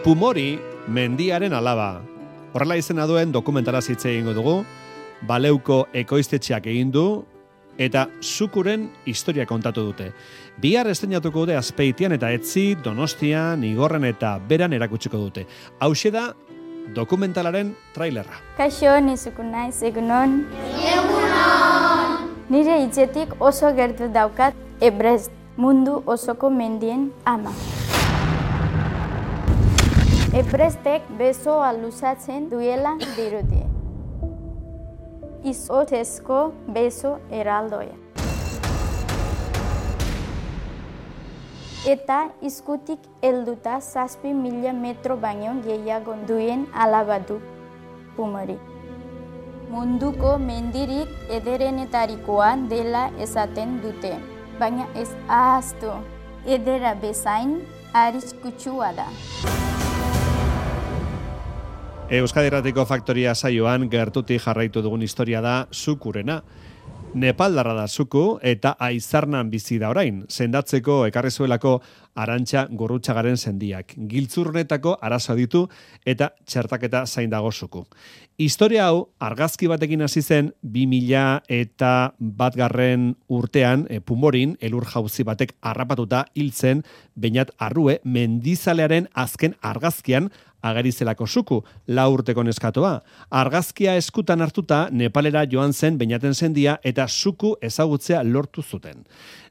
Pumori, mendiaren alaba. Horrela izena duen dokumentala hitz egingo dugu, Baleuko ekoiztetxeak egin du, eta Sukuren historia kontatu dute. Bihar estreinatuko dute Azpeitian eta Etzi, Donostian, Igorren eta Beran erakutsiko dute. Hauxe da dokumentalaren trailerra. Kaixo, ni Suku naiz, egunon. Egunon! Nire hitzetik oso gertu daukat Everest, mundu osoko mendien ama. Everestek besoa luzatzen duela dirudi. Izotezko beso eraldoia. Eta izkutik helduta 7.000 metro baino gehiago duen alaba du Pumori. Munduko mendirik ederenetarikoa dela esaten dute, baina ez ahaztu, edera bezain arriskutsua da. Euskadi Irratiko Faktoria saioan gertutik jarraitu dugun historia da Sukurena. Nepaldarra da Suku eta Aizarnan bizi da orain, sendatzeko ekarri zuelako Arantxa Gurrutxagaren sendiak. Giltzurrunetako arazo ditu eta txertaketa zain dago Suku. Historia hau argazki batekin hasi zen 2001 urtean Pumorin elur jauzi batek harrapatuta hil zen Beñat Arrue mendizalearen azken argazkian ageri zelako Suku, 4 urteko neskatoa. Argazkia eskutan hartuta Nepalera joan zen Beñaten sendia eta Suku ezagutzea lortu zuten.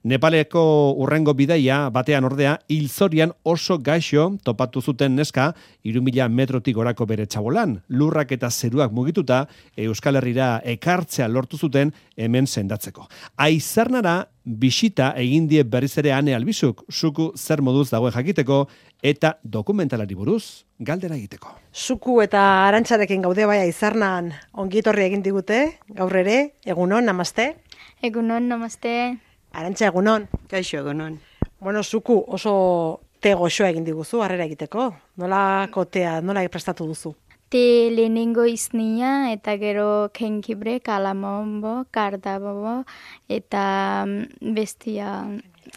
Nepaleko urrengo bidaia batean ordea hilzorian oso gaixo topatu zuten neska 3.000 metrotik gorako bere txabolan. Lurrak eta zeruak mugituta Euskal Herrira ekartzea lortu zuten hemen sendatzeko. Aizarnara bisita egin die berriz ere Ane Albizuk, Suku zer moduz dagoen jakiteko eta dokumentalari buruz galdera egiteko. Suku eta Arantxarekin gaude bai Aizarnan ongietorri egin digute, gaur ere, egunon, namaste. Egunon, namaste. Arantxa, egunon. Kaixo, egunon. Bueno, Suku oso te goxoa egin diguzu, harrera egiteko. Nolako tea, nola prestatu duzu? Te lehenengo iznia eta gero kenkibre, kalamombo, kardabobo eta bestia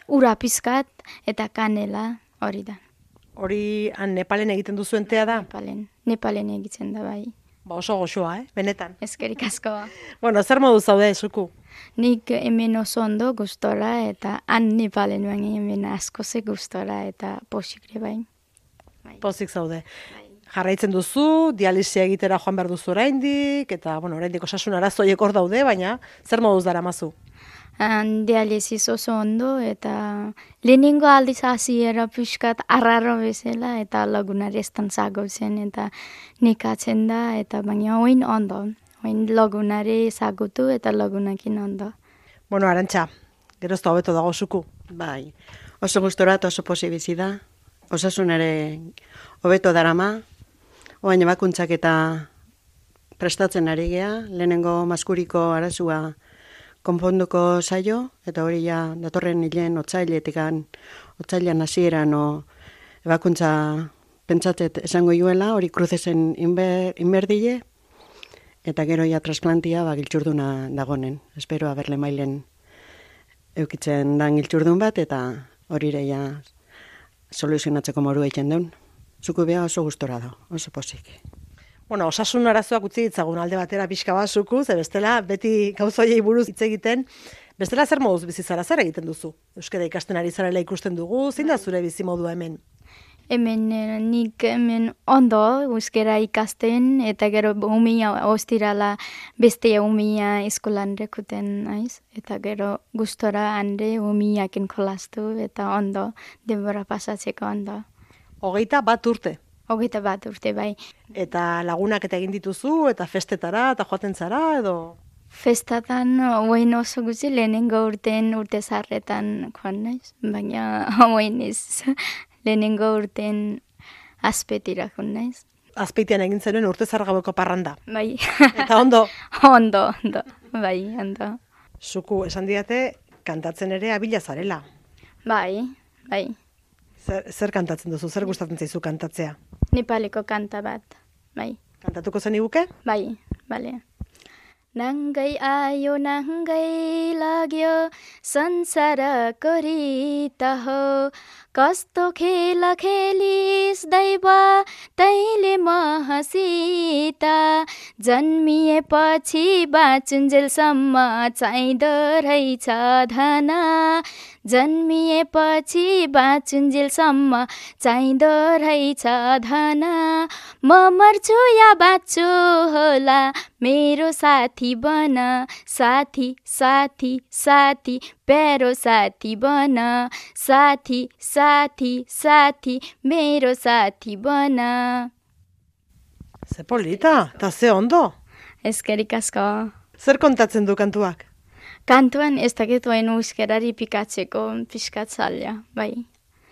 ura pizkat eta kanela hori da. Hori Nepalen egiten duzuen tea da? Nepalen egiten da bai. Ba oso goxoa, benetan. Eskerrik asko. Bueno, zer modu zaude, Suku? Nik hemen oso ondo gustora eta Nepalen baina hemen asko ze gustora eta posikre bai. Pozik zaude. Jarraitzen duzu, dialisia egitera joan behar duzu oraindik, eta oraindik osasun arazoiek hor daude, baina zer moduz daramazu? Dialisis oso ondo eta lehenengo aldiz hasiera pixkat arraro bezala eta lagunari estantzago zen eta nekatzen da eta baina oin ondo. Oin lagunari ezagutu eta lagunakin ondo. Bueno, Arantxa, gerozta hobeto dago Suku. Bai, oso gustora eta oso posibizi da. Osasunare hobeto darama, oain ebakuntzak eta prestatzen ari gea, lehenengo maskuriko arazua konponduko zaio, eta hori ja datorren hilen otsailean hasieran ebakuntza pentsatzet esango juela, hori kruzesen inberdile, eta gero ja trasplantia giltzurduna dagonen. Espero haberle mailen eukitzen dan giltzurdun bat, eta hori ja soluzionatzeko moru egiten duen. Suku beha oso gustora da, oso posik. Bueno, osasun arazoak utzi ditzagun alde batera pixka bat Suku, ze bestela beti gauzoiei buruz hitz egiten, bestela zer moduz bizizara, zer egiten duzu? Euskara ikasten ari zarela ikusten dugu, zein da zure bizimodua hemen? Nik hemen ondo euskara ikasten eta gero umia ostirala beste umia eskolan rekuten naiz eta gero gustora hande umiakin jolastu eta ondo denbora pasatzeko ondo. 21 urte. 21 urte bai. Eta lagunak eta egin dituzu eta festetara eta joaten zara edo? Festatan oin oso gutxi lehenengo urte zarretan joan naiz, baina oin ez. Lehenengo urten Azpeitira joan naiz. Azpeitian egin zenuen urte zargabeko parranda. Bai. Eta ondo? Ondo. Bai, ondo. Suku, esan diate, kantatzen ere abila zarela. Bai. Zer kantatzen duzu? Zer gustatzen zaizu kantatzea? Nepaleko kanta bat, bai. Kantatuko zen iguke? Bai, bale. नाङ्गै आयो नाङ्गै लाग्यो संसारको रीत हो कस्तो खेल खेलिस दैव तैले महसित जन्मिएपछि बाँचुन्जेलसम्म चाहिँदो रहेछ धन जन्मिएपछि बाँचुन्जेलसम्म चाहिँदो रहेछ धन म मर्छु या बाँच्छु होला मेरो साथी बन साथी साथी साथी प्यारो साथी बन साथी साथी साथी मेरो साथी bana. Ze polita, eta ze ondo. Eskerik asko. Zer kontatzen du kantuak? Kantuan ez dakit oain euskerari pikatzeko pixkat zaila, bai.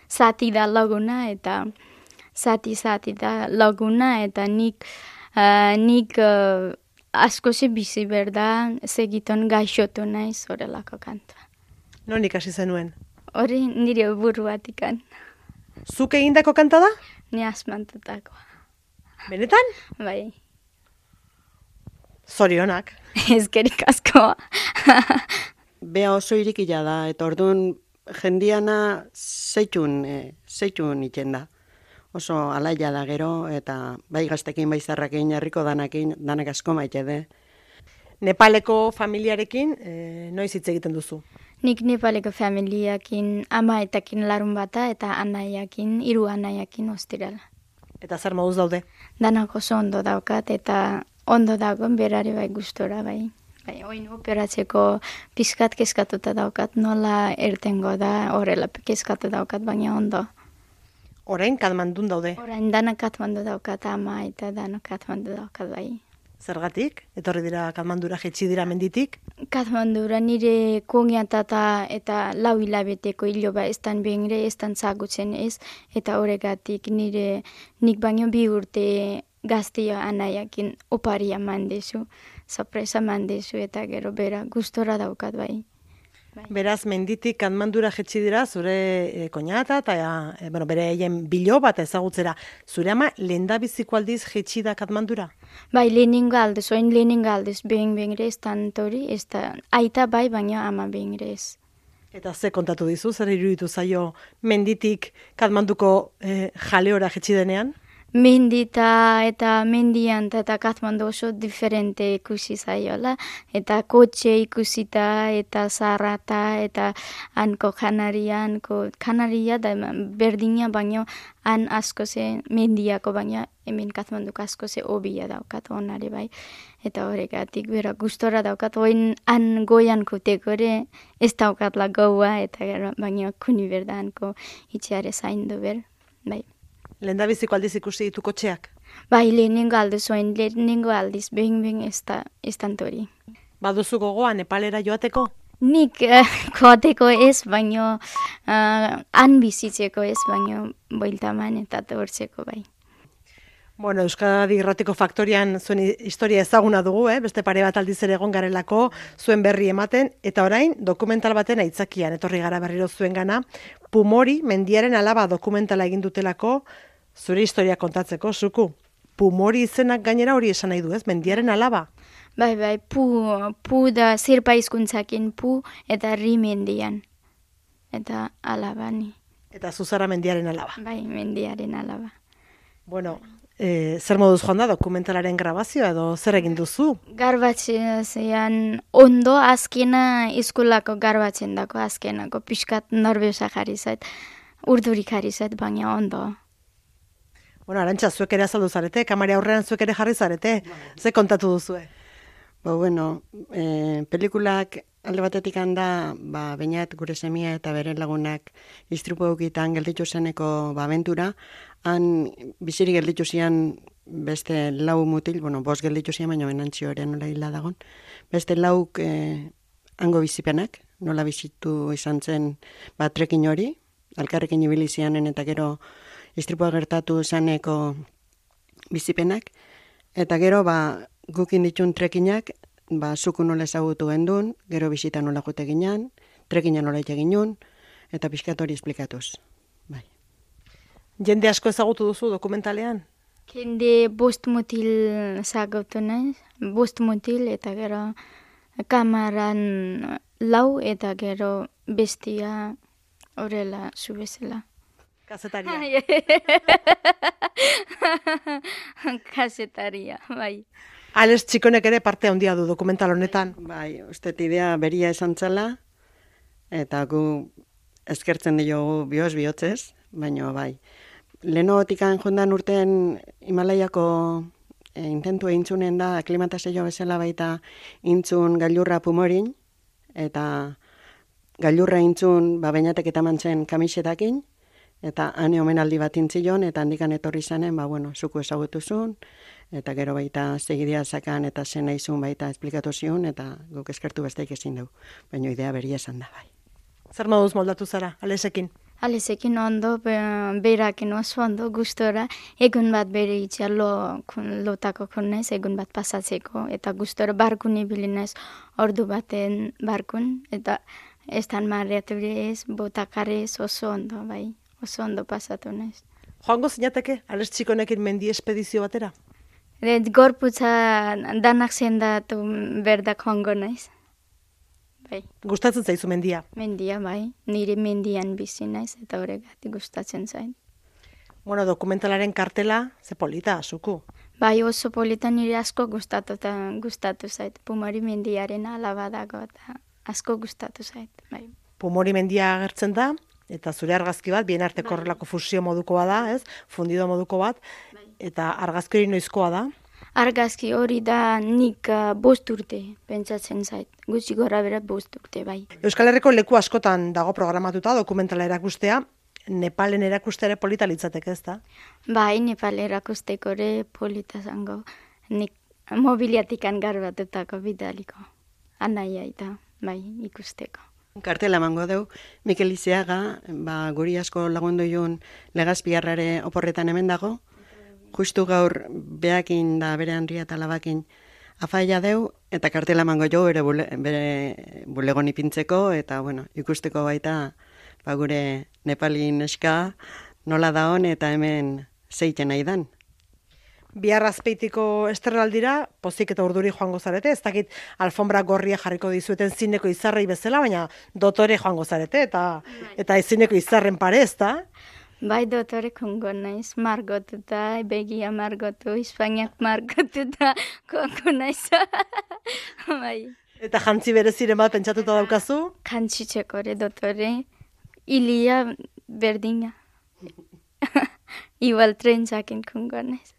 Zati da laguna eta zati da laguna eta nik asko ze bizi berda segiton gaixotu naiz horrelako kantua. Non ikasi zenuen? Hori nire buruatikan. Zuk egindako kanta da? Ni asmantutakoa. Benetan? Bai. Zorionak. Eskerik asko. Bea oso irikila da, eta orduan jendiana zeitun itzen da. Oso alaia da gero, eta bai gaztekin, bai zarrakin, herriko danakin, danak asko maite de. Nepaleko familiarekin noiz hitz egiten duzu? Nik Nepaleko familiakin, amaetakin larun bata eta anaiakin, 3 anaiakin ostirala. Eta zer moduz daude? Danak oso ondo daukat eta ondo dagoen berari bai gustora bai. Bai, oin operatzeko pizkat kezkatuta daukat, nola ertengo da horrela kezkatu daukat, baina ondo. Orain Katmandun daude? Orain danak Katmandu daukat, ama eta danak Katmandu daukat bai. Zergatik? Etorri dira Katmandura, jetxi dira menditik? Katmandura nire kogiatata eta 4 hilabeteko hiloba estan behingre, estan zagutzen ez, eta horregatik nik baino 2 urte gaztia anaiakin oparia mandezu, sorpresa mandezu, eta gero bera gustora daukat bai. Beraz, menditik Katmandura jetxi dira, zure koñata eta bere egin bilo bat ezagutzera. Zure ama lehendabiziko aldiz jetxi da Katmandura? Bai, lehenengo aldez, oin lehenengo aldez, behingre ez tantori, ez da, aita bai, baina ama behingre ez. Eta ze kontatu dizu, zer iruditu zaio menditik Katmanduko jaleora jetxi denean? Mendita eta mendian eta Katmandu oso diferente ikusi zaiola, eta kotxe ikusita eta zarrata eta hanko kanaria da berdina baino han asko ze mendiako baina hemen Katmanduko asko ze hobia daukat onare bai. Eta horregatik bera gustora daukat, oin han goian kutekore ez daukatla goua eta baina kuni berda hanko itxeare zaindu ber, bai. Lehendabiziko aldiz ikusi ditu kotxeak? Bai, lehenengo aldiz, behin ez tantori. Baduzu gogoa Nepalera joateko? Nik joateko ez, baino han bizitzeko ez, baino boiltaman eta tortzeko bai. Bueno, Euskadi Irratiko Faktorian zuen historia ezaguna dugu, beste pare bat aldiz ere egon garelako zuen berri ematen, eta orain dokumental baten aitzakian, etorri gara berriro zuen gana, Pumori, mendiaren alaba dokumentala egin dutelako, zure historia kontatzeko, zuku. Pumori izenak gainera hori esan nahi du, ez? Mendiaren alaba? Bai, pu da zirpa hizkuntzakin pu eta ri mendian. Eta alabani. Eta zuzara mendiaren alaba? Bai, mendiaren alaba. Bueno, zer moduz joan da dokumentalaren grabazioa edo zer egin duzu? Garbatzean ondo azkena eskolako garbatzen dako azkenako pixkat norbeza jarri zait, urdurik jarri zait, baina ondo. Bueno, Arantxa, zuek ere azaldu zarete, kamera aurrean zuek ere jarri zarete, ze kontatu duzue? Bueno, pelikulak alde batetik handa, bainat gure semia eta bere lagunak istripu eukitan gelditu zeneko abentura, han bizirik gelditu zian beste 4 mutil, 5 gelditu zian, baina benantzi horrean nola hila dagon, beste 4 hango bizipenak, nola bizitu izan zen trekin hori, alkarrekin ibili zianen eta gero istripua gertatu zaneko bizipenak, eta gero gukin ditun trekinak, zuku nola ezagutu gendun, gero bizita nola jute ginen, trekina nola ite ginen, eta pixkat hori esplikatuz. Bai. Jende asko ezagutu duzu dokumentalean? Jende bost mutil zagotu naiz, bost mutil eta gero kamaran lau eta gero bestia horrela zubezela. Kazetaria. Kazetaria, bai. Alex Txikonek ere parte handia du dokumental honetan. Bai, uste idea beria esan txala, eta gu eskertzen diogu bihotzez, baina bai. Lehenotikan jondan urten Himalaiako intentu eintzunen da, aklimatazio bezala baita intzun gailurra Pumorin, eta gailurra intzun bainatek eta mantzen kamisetakin, eta hane omenaldi bat intzion, eta handikan etorri zanen, zuku ezagutuzun, eta gero baita segidia zakan eta zen naizun baita esplikatu zion, eta guk eskertu besteik ezin dugu, baina idea beria esan da bai. Zer moduz moldatu zara, Alexekin? Alexekin ondo, berakin oso ondo, gustora, egun bat bere itxea lotako konez, egun bat pasatzeko, eta gustora barkun ibili naiz ordu baten barkun, eta estan marriatu ez, botakarez oso ondo, bai, oso ondo pasatu naiz. Joango zinateke, Alex Txikonekin mendi espedizio batera? Gorputza danak zendatu berdak joango naiz. Bai. Gustatzen zaizu mendia? Mendia, bai. Nire mendian bizi naiz eta horregatik gustatzen zait. Bueno, dokumentalaren kartela, ze polita, zuku. Bai, oso polita nire asko gustatu zait. Pumori mendiaren alaba dago eta asko gustatu zait. Bai. Pumori mendia agertzen da, eta zure argazki bat, bien arteko horrelako fusio modukoa da, ez? Fundido moduko bat, eta argazki hori noizkoa da? Argazki hori da nik 5 urte pentsatzen zait. Gutxi gora bera 5 urte, bai. Euskal Herriko leku askotan dago programatuta dokumentala erakustea, Nepalen erakustea ere polita litzateke, ez da? Bai, Nepal erakusteko ere polita zango. Nik mobiliatikan garbatutako bidaliko. Anaia eta, bai, ikusteko. Kartela emango deu, Mikel Izeaga, guri asko lagundu joan Legazpiarrare oporretan hemen dago, justu gaur beakin da bere handia eta labakin afaia deu, eta kartela emango jo bere bulegon ipintzeko, eta ikusteko baita gure Nepalin eska nola da hon eta hemen zeiten nahi dan. Bihar Azpeitiko estrelaldira, pozik eta urduri joango zarete, ez dakit alfombra gorria jarriko dizueten zineko izarrei bezala, baina dotore joango zarete, eta zineko izarren pare, ez da? Bai, dotore kongo naiz, margotuta, begia margotu, Espainiak margotuta, kongo naiz. Bai. Eta jantzi bereziren bat pentsatuta daukazu? Jantzi txekore, dotore, ilia berdina. Igual trentzakin kongo naiz.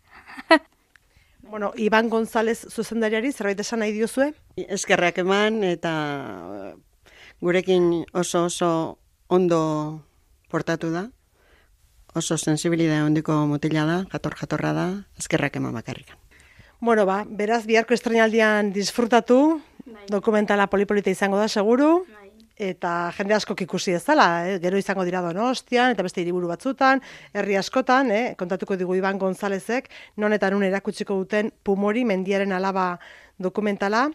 Bueno, Iban González zuzendariari zerbait esan nahi diozue? Eskerrak eman eta gurekin oso ondo portatu da. Oso sensibilidade ondiko mutila da, jatorra da, eskerrak eman bakarrikan. Bueno, beraz, biharko estrenaldian disfrutatu, dokumentala polipolita izango da, seguru, eta jende askok ikusi ez dela, gero izango dira Donostian, eta beste hiriburu batzutan, herri askotan, kontatuko digu Iban Gonzálezek, non eta nun erakutsiko duten Pumori mendiaren alaba dokumentala,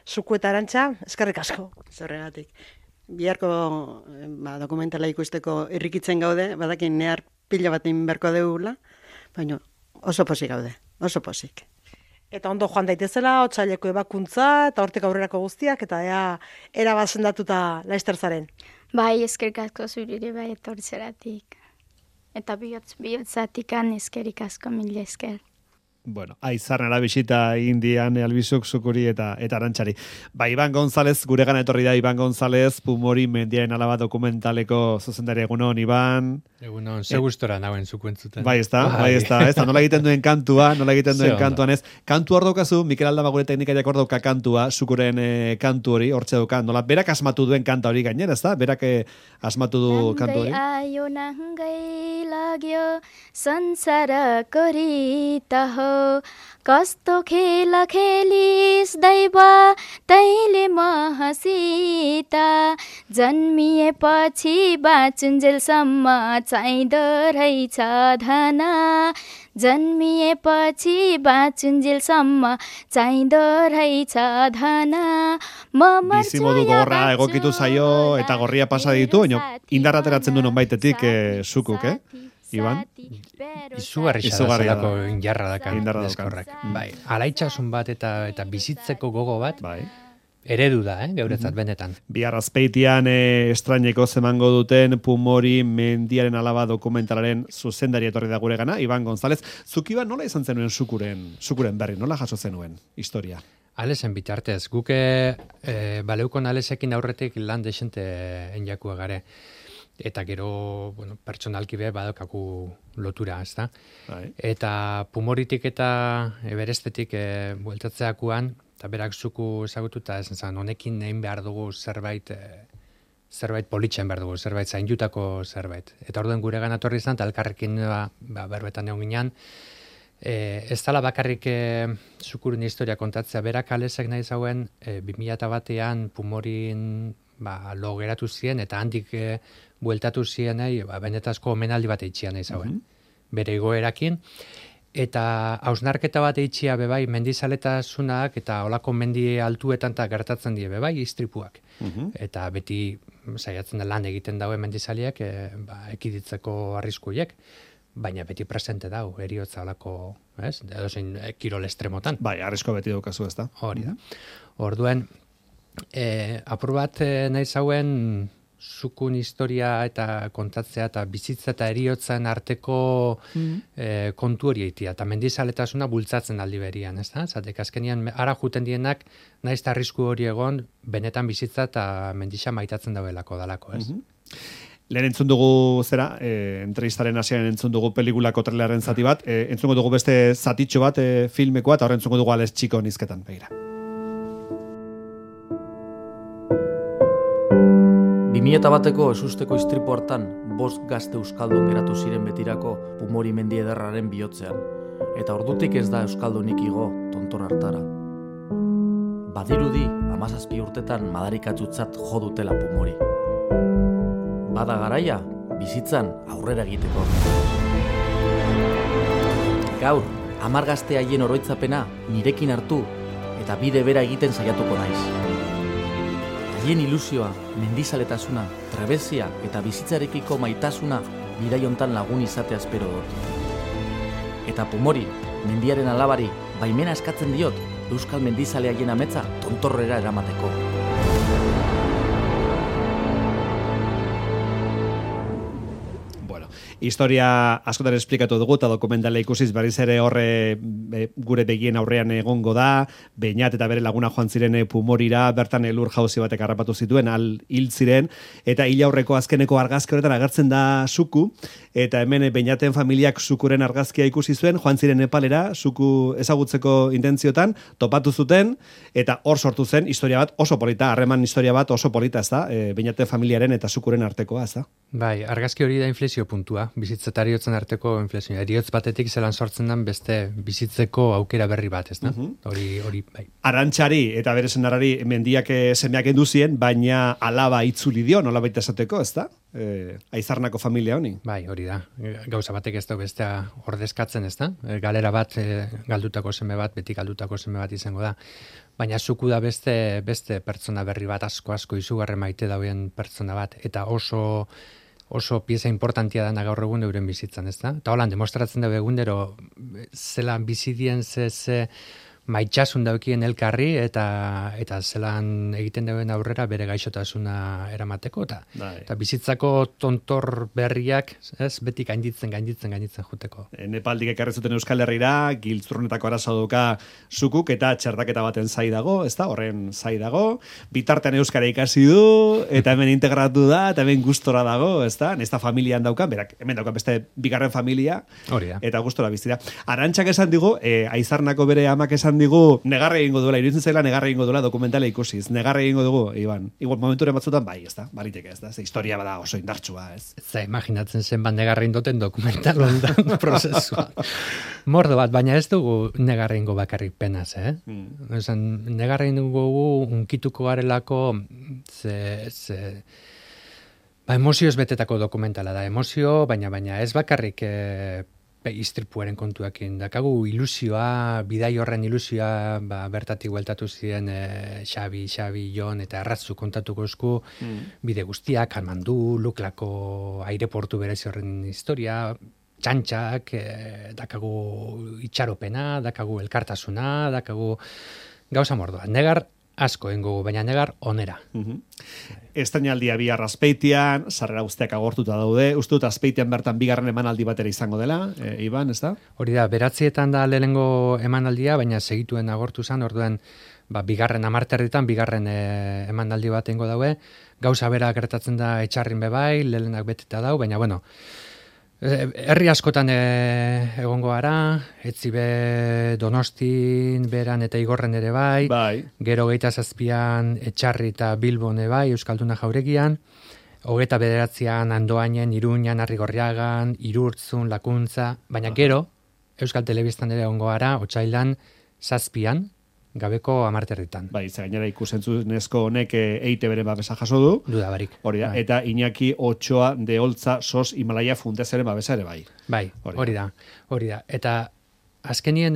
Zuku eta Arantxa, eskerrik asko. Zorregatik. Biharko dokumentala ikusteko irrikitzen gaude, badakin nehar pila batin berko deula, baina oso posik gaude, oso posik. Eta ondo joan daitezela, otsaileko ebakuntza, eta hortik aurrerako guztiak, eta erabat sendatuta laster zaren. Bai, eskerrik asko zurire bai etortzeratik. Eta bihotzatikan eskerrik asko mila esker. Bueno, aizarnara bisita indian albizuk zukuri eta Arantxari. Iban González, gure gana etorri da Iban González, Pumori mendiaren alaba dokumentaleko zuzendari egunon, Iban. Egunon, ze gustora nagoen zuku entzuten. Bai, ez da, nola egiten duen kantuan ez. Kantu hor daukazu, Mikel Aldaba gure teknikariak hor dauka kantua, zukuren kantu hori, hortxe dauka, nola, berak asmatu duen kanta hori gainera, ez da? Berak asmatu du kantu hori. Ayo nangai lagyo sansara korita ho कस्तो खेल खेलिस दैवा तैले महसिता जन्मिएपछि बाँचुन्जेलसम्म चाहिँदो रहेछ धना जन्मिएपछि बाँचुन्जेलसम्म चाहिँदो रहेछ धना Bizimodu gorra egokitu zaio eta gorria pasa ditu, baina indarra ateratzen du nonbaitetik zukuk, Iban? Izugarri Izugarria zelako da. indarra dakan. Indarra daukan. deskorrak. Bai, alaitxasun bat eta bizitzeko gogo bat, Bai. eredu da, geuretzat benetan. Bihar azpeitian estraineko zemango duten Pumori mendiaren alaba dokumentalaren zuzendari etorri da guregana, Iban González. Zuk Iban nola izan zenuen sukuren berri, nola jaso zenuen historia? Alesen bitartez, guke baleukon alesekin aurretik lan desente enjakua gare. Eta gero, bueno, pertsonalki be badaukaku lotura, ezta? Bai. Eta Pumoritik eta berestetik bueltatzeakuan, eta berak zuku ezagututa esan zan, honekin egin behar dugu zerbait politxen behar dugu, zerbait zaindutako zerbait. Eta orduen gure ganatorri izan, eta elkarrekin berbetan egon ginean, ez dala bakarrik zukurun historia kontatzea, berak alesek nahi zauen 2001an Pumorin lo geratu ziren, eta handik bueltatu ziren benetazko omenaldi bat eitxia nahi zauen. Bere igoerakin, eta hausnarketa bat eitxia bebai mendizaletasunak eta olako mendi altuetan eta gertatzen die bebai istripuak. Eta beti saiatzen da lan egiten daue mendizaliak ekiditzeko arriskuiek, baina beti presente dau, eriotza olako, ez? Edozein kirol estremotan. Bai, arrisko beti daukazu, ez da? Hori da. Orduen, apur bat nahi zauen zukun historia eta kontatzea eta bizitza eta eriotzen arteko kontu hori eitia. Eta mendizaletasuna bultzatzen aldi berian, ez da? Zatek azkenian ara juten dienak naiz eta arrisku hori egon benetan bizitza eta mendixa maitatzen dauelako dalako, ez? Lehen entzun dugu entrevistaren hasieran entzun dugu pelikulako traileraren zati bat, entzungo dugu beste zatitxo bat filmekoa, eta horren entzungo dugu Alex Txiko nizketan, begira. 2001eko esusteko istripu hartan 5 gazte euskaldun geratu ziren betirako Pumori mendi ederraren bihotzean, eta ordutik ez da euskaldunik igo tontor hartara. Badirudi 17 urtetan madarikatzutzat jo dutela Pumori. Bada garaia, bizitzan aurrera egiteko. Gaur, 10 gazte haien oroitzapena nirekin hartu eta bide bera egiten saiatuko naiz. Haien ilusioa, mendizaletasuna, trebezia eta bizitzarekiko maitasuna bidaiontan lagun izatea espero dut. Eta Pumori, mendiaren alabari, baimena eskatzen diot euskal mendizale haien ametza tontorrera eramateko. Historia askotan esplikatu dugu eta dokumentala ikusiz berriz ere horre gure begien aurrean egongo da, Beñat eta bere laguna joan ziren Pumorira, bertan elur jauzi batek harrapatu zituen, hil ziren, eta hil aurreko azkeneko argazki horretan agertzen da Suku, eta hemen Beñaten familiak Sukuren argazkia ikusi zuen, joan ziren Nepalera, Suku ezagutzeko intentziotan, topatu zuten, eta hor sortu zen historia bat oso polita, harreman historia bat oso polita, ez da, Beñaten familiaren eta Sukuren artekoa, ez da? Bai, argazki hori da inflexio puntua, bizitza eta eriotzen arteko inflexioa. Eriotz batetik zelan sortzen den beste bizitzeko aukera berri bat, ez da? Hori, bai. Arantxari eta bere senarrari mendiak semeak enduzien, baina alaba itzuli dio, nola baita esateko, ez da? Aizarnako familia honi. Bai, hori da. Gauza batek ez da bestea ordezkatzen, ez da? Galera bat, galdutako seme bat, beti galdutako seme bat izango da. Baina Suku da beste pertsona berri bat, asko izugarre maite dauen pertsona bat, eta oso pieza importantia dana gaur egun euren bizitzan, ez da? Eta holan, demostratzen dago egundero, zelan bizidien ze maitxasun daukien elkarri, eta zelan egiten dauen aurrera bere gaixotasuna eramateko, eta bizitzako tontor berriak, ez, beti gainditzen juteko. Nepaldik ekarri zuten Euskal Herrira, giltzurnetako arazo duka Sukuk, eta txertaketa baten zai dago, ez da, horren zai dago, bitartean euskara ikasi du, eta hemen integratu da, eta hemen gustora dago, ez da, nesta familian daukan, berak, hemen daukan beste bigarren familia, eta gustora bizi da. Arantxak esan digu, Aizarnako bere amak esan digu, negarre egingo duela, iruditzen zaila negarre egingo duela dokumentala ikusiz, negarre egingo dugu, Iban. Igual momenturen batzutan bai, ez da, bariteke, ez da, ze historia bada oso indartsua, ez. Za, imaginatzen zen negarre indoten dokumental ondan prozesua. Mordo bat, baina ez dugu negarre ingo bakarrik penaz, negarre ingo unkituko garelako, emozioz betetako dokumentala da, emozio, baina ez bakarrik istripuaren kontuakin. Dakagu ilusioa, bidai horren ilusioa, bertatik bueltatu ziren Xabi, Jon eta Arratzu kontatuko esku, bide guztiak, Armandu, Luklako aireportu berezi horren historia, txantxak, dakagu itxaropena, dakagu elkartasuna, dakagu gauza mordoa. Negar asko ingo, baina negar onera. Estrainaldia bihar Azpeitian, sarrera guztiak agortuta daude. Uste dut Azpeitian bertan bigarren emanaldi batera izango dela, Iban, ez da? Hori da, 9 da lehenengo emanaldia, baina segituen agortu zen, orduan bigarren 10 bigarren emanaldi bat ingo daue. Gauza bera gertatzen da etxarrin bebai, lehenak beteta dau, baina bueno, herri askotan egongo gara, etzibe Donostin, beran eta Igorren ere bai, gero 27an etxarri eta Bilbon bai, Euskalduna Jauregian, 29an Andoainen, Iruñan, Arrigorriagan, Irurtzun, Lakuntza, baina gero Euskal Telebistan ere egongo gara, otsailan 7an, gabeko 10 Bai, ze gainera ikusentzunezko honek EITB-ren babesa jaso du. Duda barik. Hori da, eta Iñaki Otxoa de Oltza SOS Himalaya Fundazioaren babesa ere bai. Bai, hori da. Eta azkenien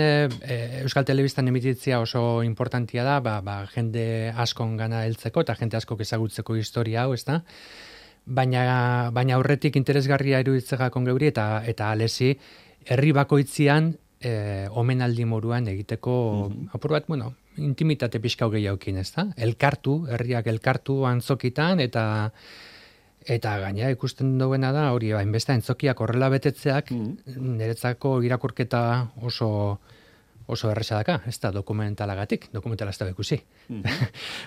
Euskal Telebistan emititzia oso importantia da, jende askon gana heltzeko eta jende askok ezagutzeko historia hau, ezta? Baina aurretik interesgarria iruditzegakon geuri eta alesi herri bakoitzian omenaldi moruan egiteko apur bat, intimitate pixkau gehiaukin, ez da? Herriak elkartu antzokitan, eta gainera ikusten duena da, hori, hainbeste antzokiak horrela betetzeak, niretzako irakurketa oso erresa daka, ez da dokumentalagatik, dokumentala ez da bekusi.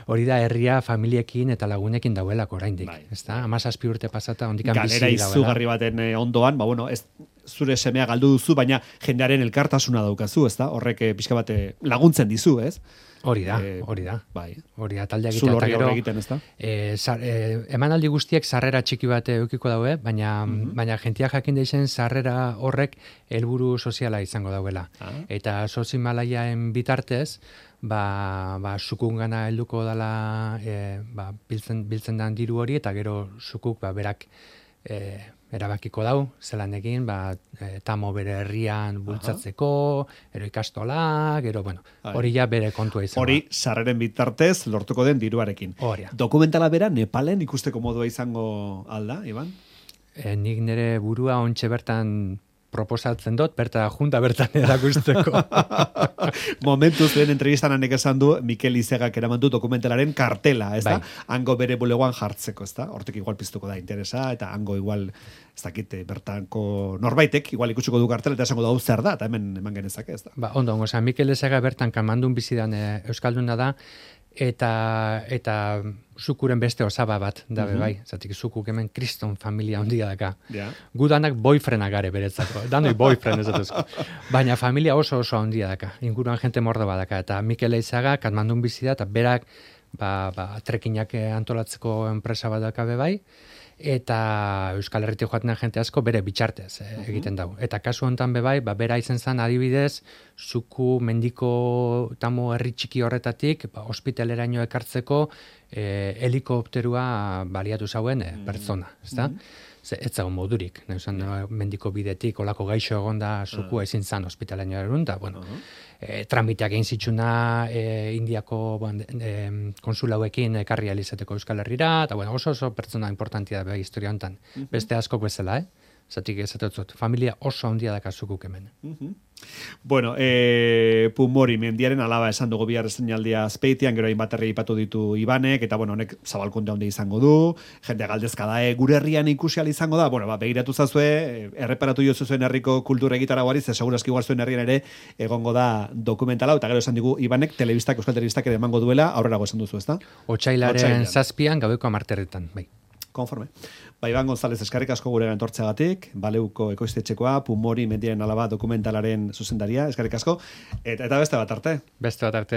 Hori da, herria familiekin eta lagunekin dauelako oraindik, ez da? 17 urte pasata, ondikan bizi dauela. Galera izugarri baten ondoan, ez zure semea galdu duzu, baina jendearen elkartasuna daukazu, ez da? Horrek pixka bat laguntzen dizu, ez? Hori da. Bai. Hori da, taldea egitea eta gero. Egiten, ez da? Emanaldi guztiek sarrera txiki bat eukiko daue, baina jentia jakin deixen sarrera horrek helburu soziala izango dauela. Eta SOS Himalayaen bitartez, sukungana helduko dela biltzen dan diru hori, eta gero sukuk berak erabakiko dau, zelan egin, tamo bere herrian bultzatzeko, ero ikastola, gero, hori ja bere kontua izango. Hori, sarreren bitartez, lortuko den diruarekin. Dokumentala bera, Nepalen ikusteko modua izango alda, Iban? Nik nire burua ontxe bertan proposatzen dut, junta bertan erakusteko. Momentuz, lehen entrevistan hanek esan du, Mikel Izegak eraman du dokumentalaren kartela, ez da? Hango bere bulegoan jartzeko, ez da? Hortek igual piztuko da interesa, eta hango igual, ez dakit, bertanko norbaitek, igual ikutsiko du kartela, eta esango da, zer da, eta hemen eman genezake, ez da? Ondo, Mikel Izegak bertan kamandun bizidan Euskalduna da, eta zukuren beste osaba bat da bai, zatik zukuk hemen kriston familia ondia daka. Gudanak boyfriendak gare beretzako, danoi boyfriend ez dutuzko. Baina familia oso ondia daka, inguruan jente mordo badaka, eta Mikel Eizaga Katmandun bizi da, eta berak trekinak antolatzeko enpresa bat daka bai, eta Euskal Herritik joaten jente asko bere bitxartez egiten dau. Eta kasu hontan bai, bera izen zen adibidez, zuku mendiko tamo herri txiki horretatik, ospitaleraino ekartzeko helikopterua baliatu zauen pertsona, ezta? Ez zago modurik, mendiko bidetik, olako gaixo egonda zukua ezin zan ospitalaino erun, da, tramiteak egin zitsuna Indiako konsulauekin ekarri alizateko Euskal Herrira, eta oso pertsona importantia da historia hontan. Beste askok bezala, zatik ezatetzot, familia oso handia daka zukuk hemen. Pumori mendiaren alaba esan dugu bihar estreinaldia Azpeitian, gero hainbat herri aipatu ditu Ibanek, eta honek zabalkunde handia izango du, jende galdezka da, gure herrian ikusi ahal izango da, begiratu zazue, erreparatu jozu zuen herriko kultura egitaragoari, ze segurazki igual zuen herrian ere egongo da dokumentala, eta gero esan digu Ibanek Euskal Telebistak ere emango duela, aurrerago esan duzu, ezta? Otsailaren 7an gabeko 10 bai. Konforme. Iban González, eskarrik asko gure entortzeagatik, Baleuko ekoiztetxekoa, Pumori mendiaren alaba dokumentalaren zuzendaria, eskarrik asko, eta beste bat arte. Beste bat arte.